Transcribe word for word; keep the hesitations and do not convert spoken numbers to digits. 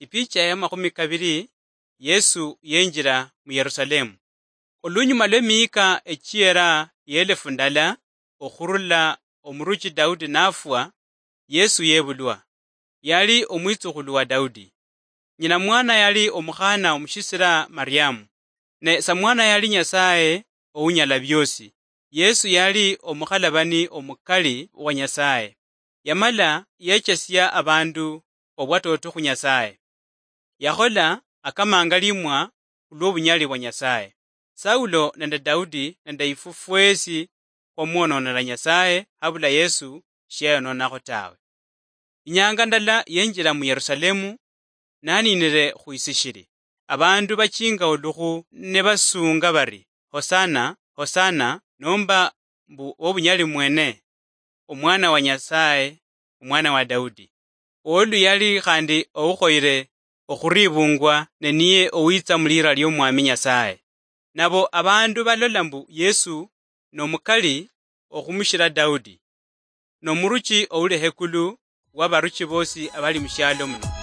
Ipicha ya makhumi kabiri. Yesu yenjira mu Yerusalemu. Olunyuma lw'emiyika echiera y'elefu ndala okhurula omuruchi Daudi nafwa, Yesu yebulwa. Yali omwitsukhulu wa Daudi. Nyina mwana yali omukhana omushisira Mariamu, ne samwana yali Nyasaye ounyala biosi. Yesu yali omukhalabani omukali wa Nyasaye. Yamala yechesia abandu obwatoto khu Nyasaye. Yakhola akamanga limwa khulw'obunyali bwa Nyasaye. Saulo nende Daudi nende ifwe fwesi khwamwononera Nyasaye habula Yesu shiayononakho tawe. Inyanga ndala yenjira mu Yerusalemu naninire khwisishiri. Abandu bachinga olukhu nibasunga bari, "Hosana, Hosana," nomba mbu, "Wobunyali mwene, Omwana wa Nyasaye, Omwana wa Daudi. Olu yali khandi oukhoyire okhuribungwa, ne niye owitsa mulira liomwami Nyasaye." Nabo abandu balola mbu Yesu nomukali okhumushira Daudi, nomuruchi ouli hekulu wabaruchi bosi abali mushialo muno.